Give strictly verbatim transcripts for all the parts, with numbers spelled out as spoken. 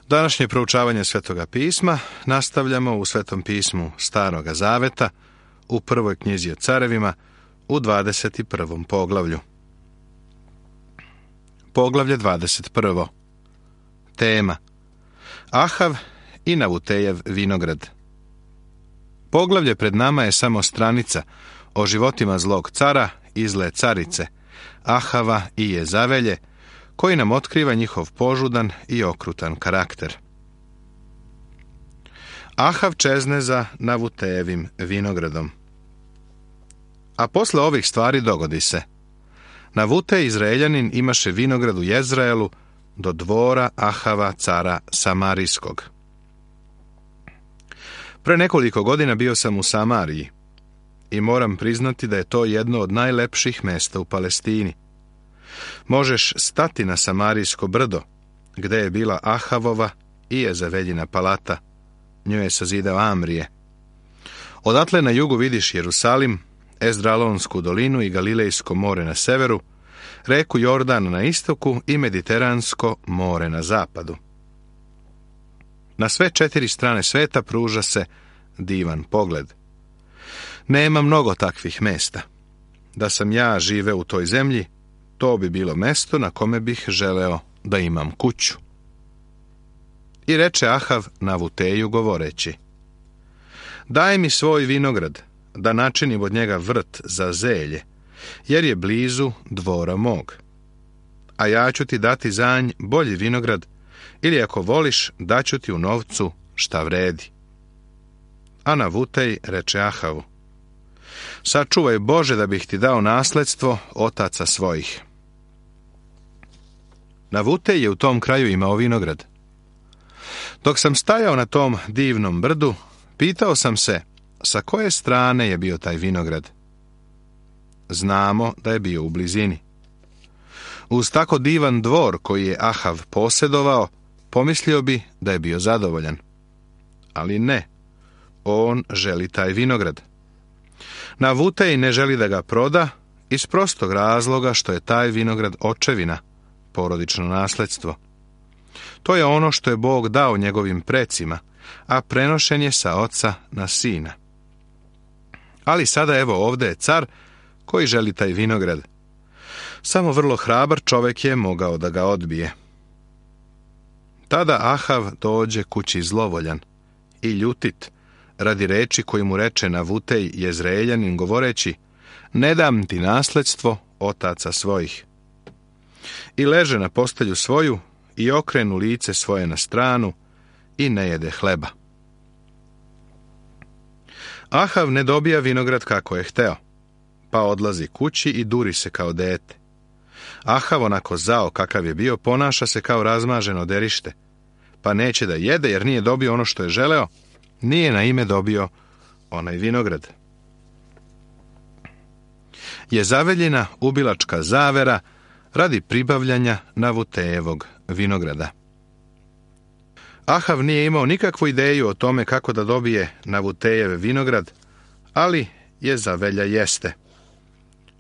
Današnje proučavanje Svetoga pisma nastavljamo u Svetom pismu Staroga zaveta, u prvoj knjizi o carevima, u dvadeset prvom poglavlju. Poglavlje dvadeset prvo. Tema: Ahav i Navutejev vinograd. Poglavlje pred nama je samo stranica o životima zlog cara i zle carice, Ahava i Jezavelje, koji nam otkriva njihov požudan i okrutan karakter. Ahav čezne za Navutejevim vinogradom. A posle ovih stvari dogodi se: Navutej Izraeljanin imaše vinograd u Jezraelu do dvora Ahava cara Samarijskog. Pre nekoliko godina bio sam u Samariji i moram priznati da je to jedno od najlepših mesta u Palestini. Možeš stati na Samarijsko brdo, gde je bila Ahavova i Jezaveljina palata. Nju je sazidao Amrije. Odatle na jugu vidiš Jerusalim, Ezdralonsku dolinu i Galilejsko more na severu, reku Jordan na istoku i Mediteransko more na zapadu. Na sve četiri strane sveta pruža se divan pogled. Nema mnogo takvih mesta. Da sam ja živeo u toj zemlji, to bi bilo mesto na kome bih želeo da imam kuću. I reče Ahav Navuteju govoreći: Daj mi svoj vinograd, da načinim od njega vrt za zelje, jer je blizu dvora mog. A ja ću ti dati za nj bolji vinograd, ili ako voliš, daću ti u novcu šta vredi. A Navutej reče Ahavu: Sačuvaj Bože da bih ti dao nasledstvo otaca svojih. Navutej je u tom kraju imao vinograd. Dok sam stajao na tom divnom brdu, pitao sam se sa koje strane je bio taj vinograd. Znamo da je bio u blizini. Uz tako divan dvor koji je Ahav posjedovao, pomislio bi da je bio zadovoljan. Ali ne, on želi taj vinograd. Navutej ne želi da ga proda iz prostog razloga što je taj vinograd očevina, porodično nasledstvo. To je ono što je Bog dao njegovim precima, a prenošen je sa oca na sina. Ali sada evo ovdje je car koji želi taj vinograd. Samo vrlo hrabar čovjek je mogao da ga odbije. Tada Ahav dođe kući zlovoljan i ljutit radi reči koji mu reče Navutej Jezreeljanin govoreći: Ne dam ti nasledstvo otaca svojih. I leže na postelju svoju i okrenu lice svoje na stranu i ne jede hleba. Ahav ne dobija vinograd kako je hteo, pa odlazi kući i duri se kao dete. Ahav, onako zao kakav je bio, ponaša se kao razmaženo derište, pa neće da jede jer nije dobio ono što je želeo, nije na ime dobio onaj vinograd. Jezaveljina ubilačka zavera radi pribavljanja Navutejevog vinograda. Ahav nije imao nikakvu ideju o tome kako da dobije Navutejev vinograd, ali Jezavelja jeste.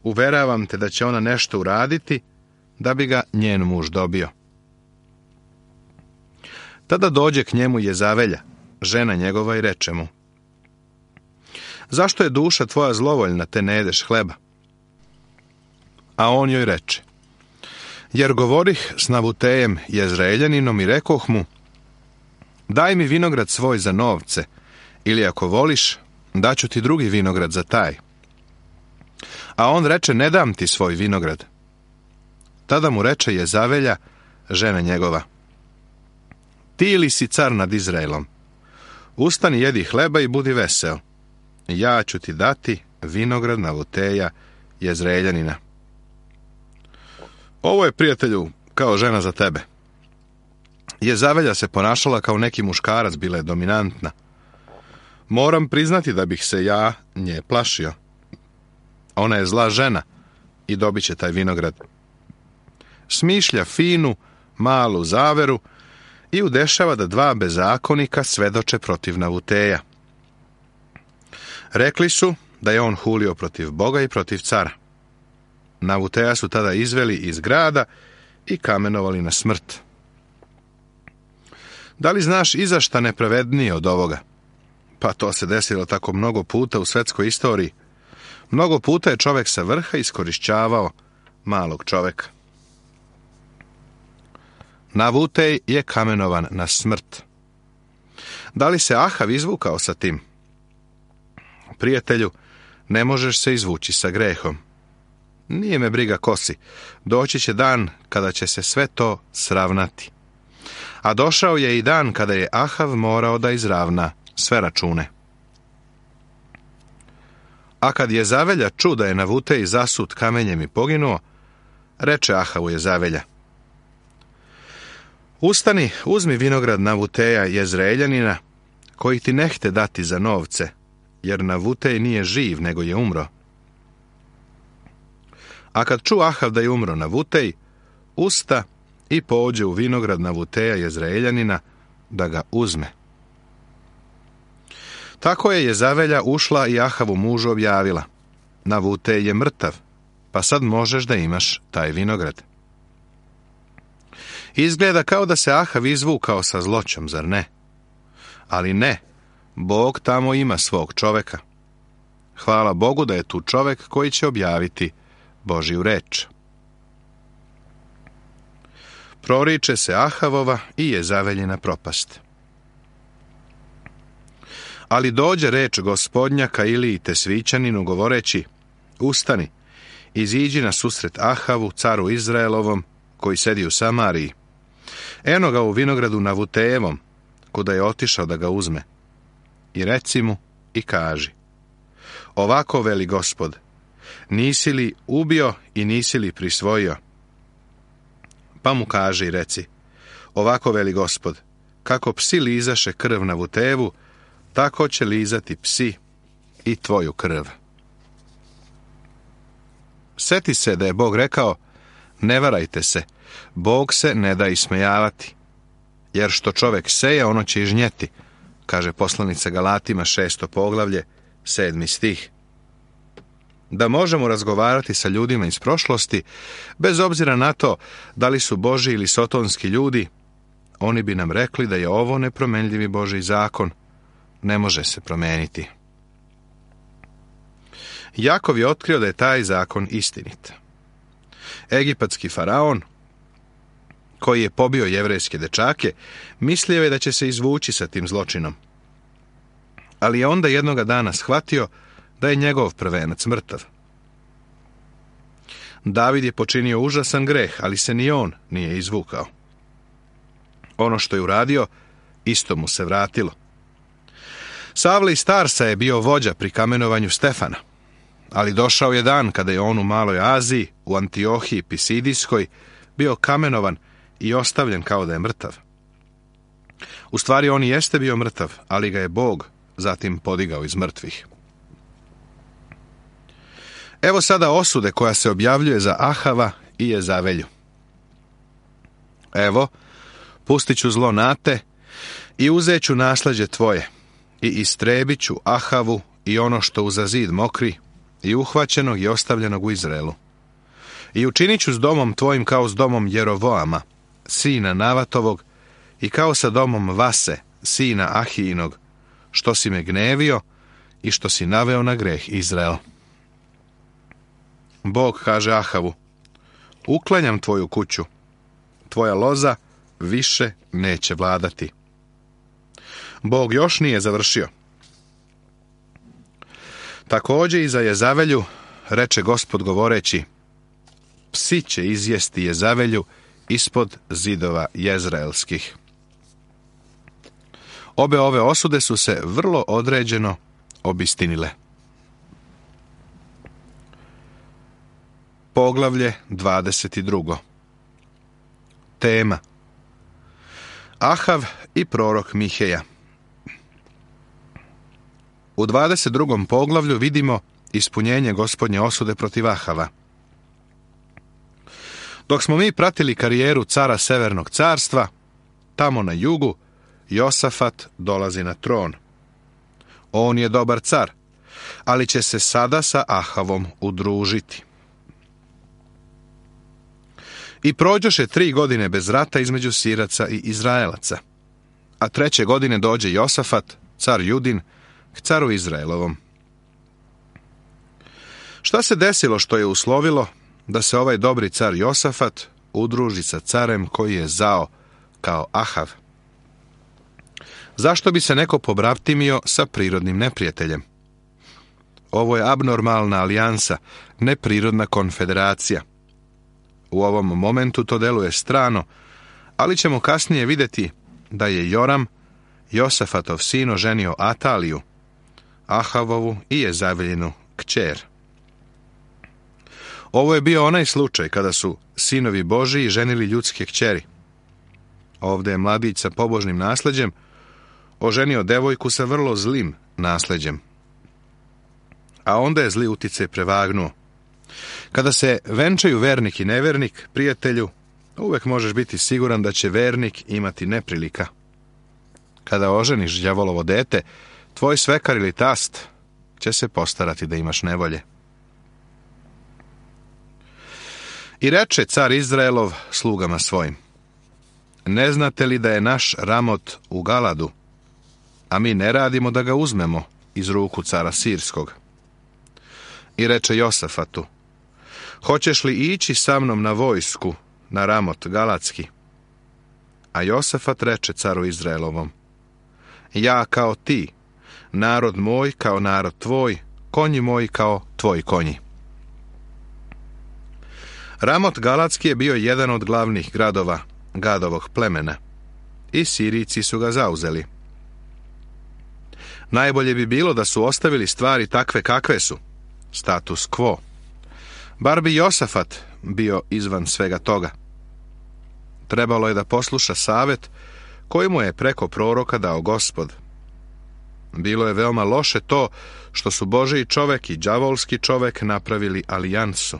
Uveravam te da će ona nešto uraditi da bi ga njen muž dobio. Tada dođe k njemu Jezavelja, žena njegova, i reče mu: Zašto je duša tvoja zlovoljna, te ne jedeš hleba? A on joj reče: Jer govorih s Navutejem Jezreeljaninom i rekoh mu: Daj mi vinograd svoj za novce, ili ako voliš, daću ti drugi vinograd za taj. A on reče: Ne dam ti svoj vinograd. Tada mu reče Jezavelja, žena njegova: Ti li si car nad Izraelom? Ustani, jedi hleba i budi veseo. Ja ću ti dati vinograd Navuteja Jezreeljanina. Ovo je, prijatelju, kao žena za tebe. Jezavelja se ponašala kao neki muškarac, bila je dominantna. Moram priznati da bih se ja nje plašio. Ona je zla žena i dobit će taj vinograd. Smišlja finu, malu zaveru i udešava da dva bezakonika svedoče protiv Navuteja. Rekli su da je on hulio protiv Boga i protiv cara. Navuteja su tada izveli iz grada i kamenovali na smrt. Da li znaš i za šta nepravednije od ovoga? Pa to se desilo tako mnogo puta u svetskoj istoriji. Mnogo puta je čovjek sa vrha iskorišćavao malog čovjeka. Navutej je kamenovan na smrt. Da li se Ahav izvukao sa tim? Prijatelju, ne možeš se izvući sa grehom. Nije me briga ko si. Doći će dan kada će se sve to sravnati. A došao je i dan kada je Ahav morao da izravna sve račune. A kad Jezavelja ču da je Navutej zasut kamenjem i poginuo, reče Ahavu Jezavelja: Ustani, uzmi vinograd Navuteja Jezreeljanina, koji ti nehte dati za novce, jer Navutej nije živ, nego je umro. A kad ču Ahav da je umro Navutej, usta i pođe u vinograd Navuteja Jezreeljanina da ga uzme. Tako je Jezavelja ušla i Ahavu mužu objavila: Navutej je mrtav, pa sad možeš da imaš taj vinograd. Izgleda kao da se Ahav izvukao sa zloćom, zar ne? Ali ne, Bog tamo ima svog čoveka. Hvala Bogu da je tu čovek koji će objaviti Božju reč. Proriče se Ahavova i Jezaveljina propast. Ali dođe reč Gospodnja ka Iliji Tesvićaninu govoreći: Ustani, iziđi na susret Ahavu, caru Izraelovom, koji sedi u Samariji. Eno ga u vinogradu Navutejevom, kuda je otišao da ga uzme. I reci mu i kaži: Ovako veli Gospod, nisi li ubio i nisi li prisvojio? Pa mu kaži i reci: Ovako veli Gospod, kako psi lizaše krv Navutejevu, tako će lizati psi i tvoju krv. Seti se da je Bog rekao: Ne varajte se, Bog se ne da ismejavati, jer što čovek seje, ono će i žnjeti, kaže poslanica Galatima šesto poglavlje, sedmi stih. Da možemo razgovarati sa ljudima iz prošlosti, bez obzira na to da li su Božji ili sotonski ljudi, oni bi nam rekli da je ovo nepromenljivi Božji zakon, ne može se promeniti. Jakov je otkrio da je taj zakon istinit. Egipatski faraon, koji je pobio jevrejske dečake, mislio je da će se izvući sa tim zločinom. Ali je onda jednoga dana shvatio da je njegov prvenac mrtav. David je počinio užasan greh, ali se ni on nije izvukao. Ono što je uradio, isto mu se vratilo. Savle iz Tarsa je bio vođa pri kamenovanju Stefana, ali došao je dan kada je on u Maloj Aziji, u Antiohiji Pisidijskoj, bio kamenovan i ostavljen kao da je mrtav. U stvari on i jeste bio mrtav, ali ga je Bog zatim podigao iz mrtvih. Evo sada osude koja se objavljuje za Ahava i Jezavelju. Evo, pustit ću zlo na te i uzet ću nasleđe tvoje i istrebit ću Ahavu i ono što uza zid mokri i uhvaćenog i ostavljenog u Izraelu. I učinit ću s domom tvojim kao s domom Jerovoama, sina Navatovog, i kao sa domom Vase, sina Ahijinog, što si me gnevio i što si naveo na greh Izrael. Bog kaže Ahavu: Uklanjam tvoju kuću, tvoja loza više neće vladati. Bog još nije završio. Također i za Jezavelju reče Gospod govoreći: Psi će izjesti Jezavelju ispod zidova jezraelskih. Obe ove osude su se vrlo određeno obistinile. Poglavlje dvadeset dva. Tema: Ahav i prorok Miheja. U dvadeset drugom poglavlju vidimo ispunjenje Gospodnje osude protiv Ahava. Dok smo mi pratili karijeru cara Severnog carstva, tamo na jugu Josafat dolazi na tron. On je dobar car, ali će se sada sa Ahavom udružiti. I prođoše tri godine bez rata između Siraca i Izraelaca. a treće godine dođe Josafat, car Judin, k caru Izraelovom. Šta se desilo što je uslovilo da se ovaj dobri car Josafat udruži sa carem koji je zao kao Ahav? Zašto bi se neko pobravtimio sa prirodnim neprijateljem? Ovo je abnormalna alijansa, neprirodna konfederacija. U ovom momentu to deluje strano, ali ćemo kasnije vidjeti da je Joram, Josafatov sin, oženio Ataliju, Ahavovu i Jezaveljinu kćer. Ovo je bio onaj slučaj kada su sinovi Božiji ženili ljudske kćeri. Ovdje je mladić sa pobožnim nasleđem oženio devojku sa vrlo zlim nasleđem. A onda je zli uticaj prevagnuo. Kada se venčaju vernik i nevernik, prijatelju, uvek možeš biti siguran da će vernik imati neprilika. Kada oženiš đavolovo dete, tvoj svekar ili tast će se postarati da imaš nevolje. I reče car Izraelov slugama svojim: ne znate li da je naš Ramot u Galadu, a mi ne radimo da ga uzmemo iz ruku cara Sirskog? I reče Josafatu: hoćeš li ići sa mnom na vojsku, na Ramot Galatski? A Josafat reče caru Izraelovom: ja kao ti, narod moj kao narod tvoj, konji moji kao tvoji konji. Ramot Galatski je bio jedan od glavnih gradova Gadovog plemena i Sirijci su ga zauzeli. Najbolje bi bilo da su ostavili stvari takve kakve su, status quo. Bar bi Josafat bio izvan svega toga. Trebalo je da posluša savjet koji mu je preko proroka dao Gospod. Bilo je veoma loše to što su Božiji čovek i đavolski čovek napravili alijansu.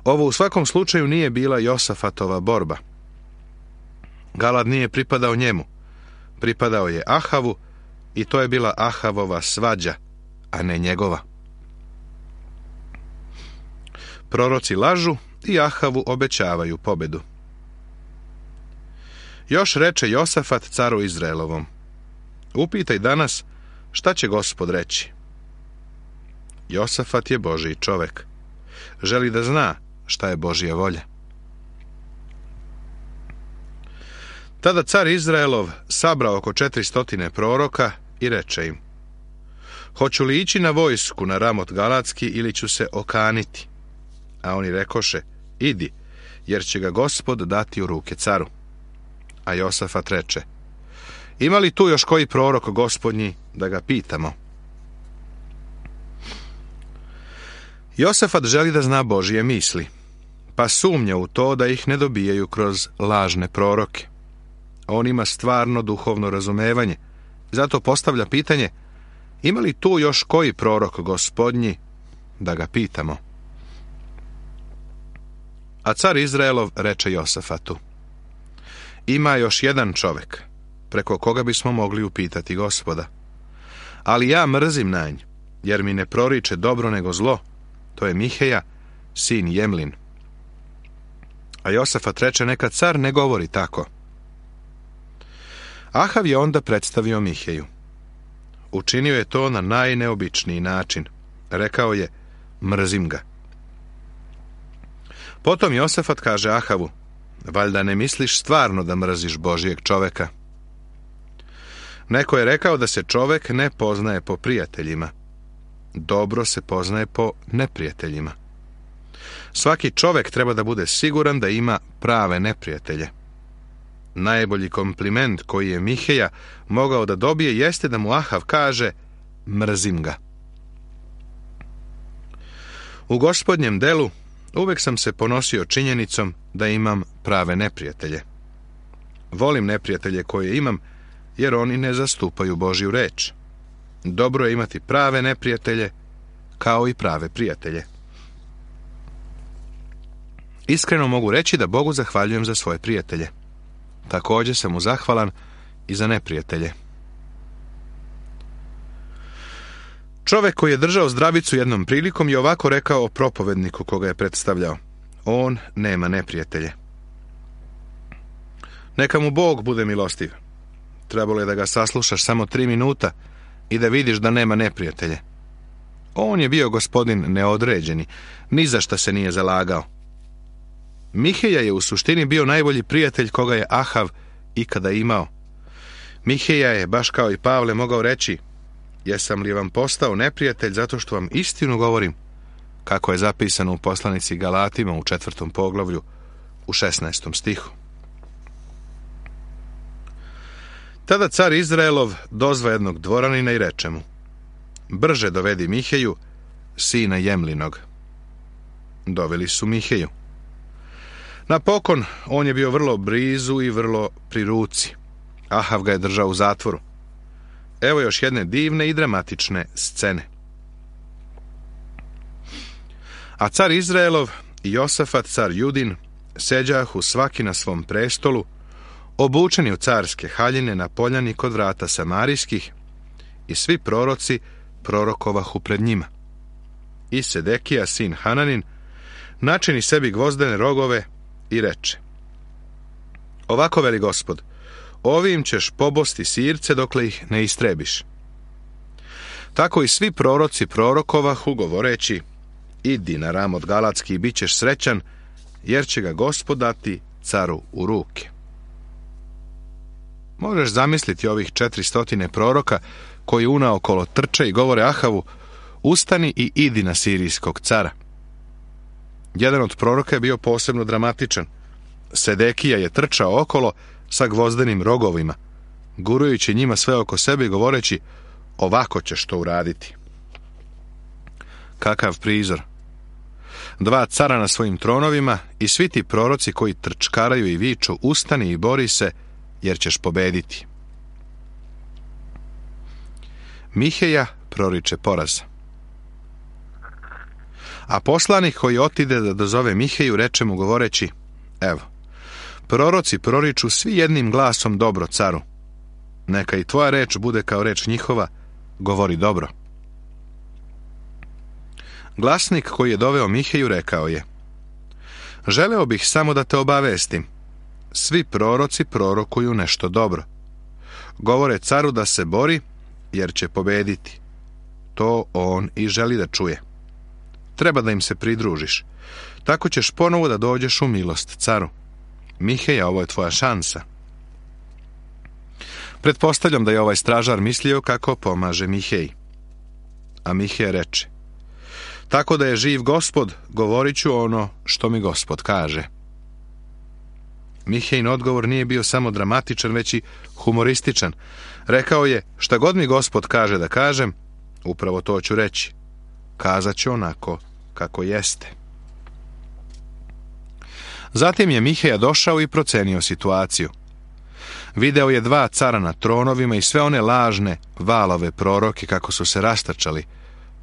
Ovo u svakom slučaju nije bila Josafatova borba. Galad nije pripadao njemu. Pripadao je Ahavu i to je bila Ahavova svađa, a ne njegova. Proroci lažu i Ahavu obećavaju pobedu. Još reče Josafat caru Izraelovom: upitaj danas šta će Gospod reći. Josafat je Božji čovek. Želi da zna šta je Božja volja. Tada car Izraelov sabrao oko četiristotine proroka i reče im: hoću li ići na vojsku na Ramot Galatski ili ću se okaniti? A oni rekoše: idi, jer će ga Gospod dati u ruke caru. A Josafat reče: ima li tu još koji prorok Gospodnji da ga pitamo? Josafat želi da zna Božje misli, pa sumnja u to da ih ne dobijaju kroz lažne proroke. On ima stvarno duhovno razumevanje, zato postavlja pitanje: ima li tu još koji prorok Gospodnji da ga pitamo? A car Izraelov reče Josafatu: ima još jedan čovek preko koga bismo mogli upitati Gospoda, ali ja mrzim na nj, jer mi ne proriče dobro nego zlo. To je Miheja, sin Jemlin. A Josafat reče: neka car ne govori tako. Ahav je onda predstavio Miheju. Učinio je to na najneobičniji način. Rekao je: mrzim ga. Potom Josafat kaže Ahavu: valjda ne misliš stvarno da mrziš Božijeg čoveka? Neko je rekao da se čovek ne poznaje po prijateljima. Dobro se poznaje po neprijateljima. Svaki čovek treba da bude siguran da ima prave neprijatelje. Najbolji kompliment koji je Miheja mogao da dobije jeste da mu Ahav kaže: mrzim ga. U Gospodnjem delu uvek sam se ponosio činjenicom da imam prave neprijatelje. Volim neprijatelje koje imam, jer oni ne zastupaju Božju reč. Dobro je imati prave neprijatelje, kao i prave prijatelje. Iskreno mogu reći da Bogu zahvaljujem za svoje prijatelje. Također sam mu zahvalan i za neprijatelje. Čovek koji je držao zdravicu jednom prilikom je ovako rekao o propovedniku koga je predstavljao: on nema neprijatelje. Neka mu Bog bude milostiv. Trebalo je da ga saslušaš samo tri minuta i da vidiš da nema neprijatelje. On je bio gospodin neodređeni, ni za šta se nije zalagao. Miheja je u suštini bio najbolji prijatelj koga je Ahav ikada imao. Miheja je, baš kao i Pavle, mogao reći: jesam li vam postao neprijatelj zato što vam istinu govorim, kako je zapisano u poslanici Galatima u četvrtom poglavlju u šesnaestom stihu. Tada car Izraelov dozva jednog dvoranina i reče mu: brže dovedi Miheju, sina Jemlinog. Doveli su Miheju. Napokon, on je bio vrlo blizu i vrlo pri ruci. Ahav ga je držao u zatvoru. Evo još jedne divne i dramatične scene. A car Izraelov i Josafat, car Judin, seđahu svaki na svom prestolu, obučeni u carske haljine na poljani kod vrata samarijskih, i svi proroci prorokovahu pred njima. I Sedekija, sin Hananin, načini sebi gvozdene rogove i reče: ovako veli Gospod, ovim ćeš pobosti sirce dokle ih ne istrebiš. Tako i svi proroci prorokovahu govoreći: idi na Ramot Galatski i bit ćeš srećan, jer će ga Gospod dati caru u ruke. Možeš zamisliti ovih četiristotine proroka koji unaokolo trče i govore Ahavu: ustani i idi na sirijskog cara. Jedan od proroka je bio posebno dramatičan. Sedekija je trčao okolo sa gvozdenim rogovima, gurujući njima sve oko sebe i govoreći: ovako ćeš to uraditi. Kakav prizor! Dva cara na svojim tronovima i svi ti proroci koji trčkaraju i viču: ustani i bori se, jer ćeš pobediti. Miheja proriče poraz. A poslanik koji otide da dozove Miheju reče mu govoreći: evo, proroci proriču svi jednim glasom dobro caru. Neka i tvoja reč bude kao reč njihova, govori dobro. Glasnik koji je doveo Miheju rekao je: želeo bih samo da te obavestim, svi proroci prorokuju nešto dobro. Govore caru da se bori, jer će pobediti. To on i želi da čuje. Treba da im se pridružiš. Tako ćeš ponovo da dođeš u milost caru. Miheja, ovo je tvoja šansa. Pretpostavljam da je ovaj stražar mislio kako pomaže Miheji. A Miheja reče: tako da je živ Gospod, govorit ću ono što mi Gospod kaže. Mihejin odgovor nije bio samo dramatičan, već i humorističan. Rekao je: šta god mi Gospod kaže da kažem, upravo to ću reći. Kazat ću onako kako jeste. Zatim je Miheja došao i procenio situaciju. Video je dva cara na tronovima i sve one lažne valove proroke kako su se rastrčali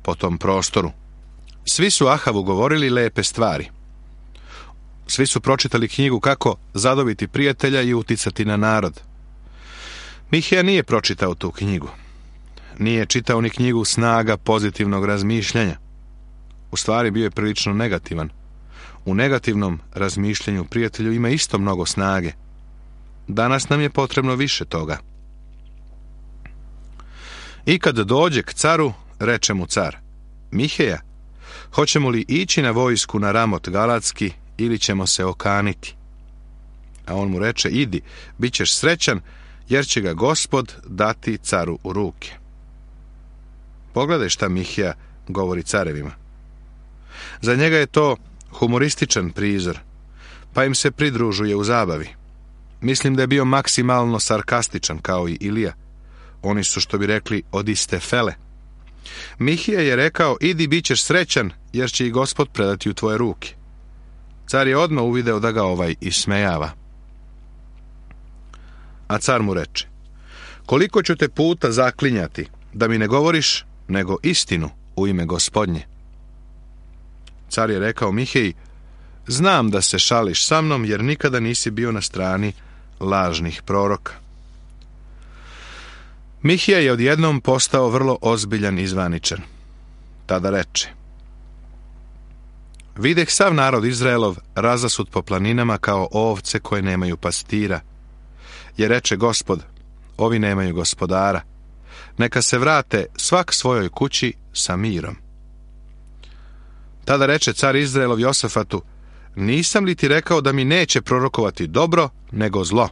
po tom prostoru. Svi su Ahavu govorili lepe stvari. Svi su pročitali knjigu kako zadobiti prijatelja i uticati na narod. Miheja nije pročitao tu knjigu. Nije čitao ni knjigu snaga pozitivnog razmišljanja. U stvari bio je prilično negativan. U negativnom razmišljanju prijatelju ima isto mnogo snage. Danas nam je potrebno više toga. I kad dođe k caru, reče mu car: Miheja, hoćemo li ići na vojsku na Ramot Galatski ili ćemo se okaniti? A on mu reče: idi, bit ćeš srećan, jer će ga Gospod dati caru u ruke. Pogledaj šta Miheja govori carevima. Za njega je to humorističan prizor, pa im se pridružuje u zabavi. Mislim da je bio maksimalno sarkastičan kao i Ilija. Oni su, što bi rekli, od iste fele. Miheja je rekao: idi, bit ćeš srećan, jer će i Gospod predati u tvoje ruke. Car je odmah uvideo da ga ovaj ismejava. A car mu reče: koliko ću te puta zaklinjati da mi ne govoriš nego istinu u ime Gospodnje? Car je rekao Miheji: znam da se šališ sa mnom, jer nikada nisi bio na strani lažnih proroka. Miheja je odjednom postao vrlo ozbiljan i zvaničan. Tada reče: videh sav narod Izraelov razasut po planinama kao ovce koje nemaju pastira. Jer reče Gospod: ovi nemaju gospodara. Neka se vrate svak svojoj kući sa mirom. Tada reče car Izraelov Josafatu: nisam li ti rekao da mi neće prorokovati dobro, nego zlo?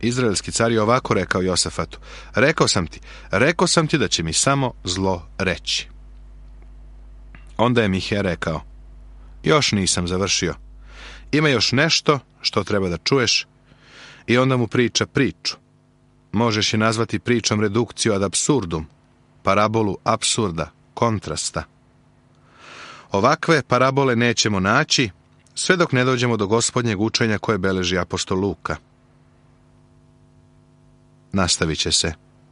Izraelski car je ovako rekao Josafatu: rekao sam ti, rekao sam ti da će mi samo zlo reći. Onda je Mihe rekao: još nisam završio. Ima još nešto što treba da čuješ. I onda mu priča priču. Možeš je nazvati pričom redukciju ad absurdum, parabolu apsurda, kontrasta. Ovakve parabole nećemo naći sve dok ne dođemo do Gospodnjeg učenja koje beleži apostol Luka. Nastavit će se.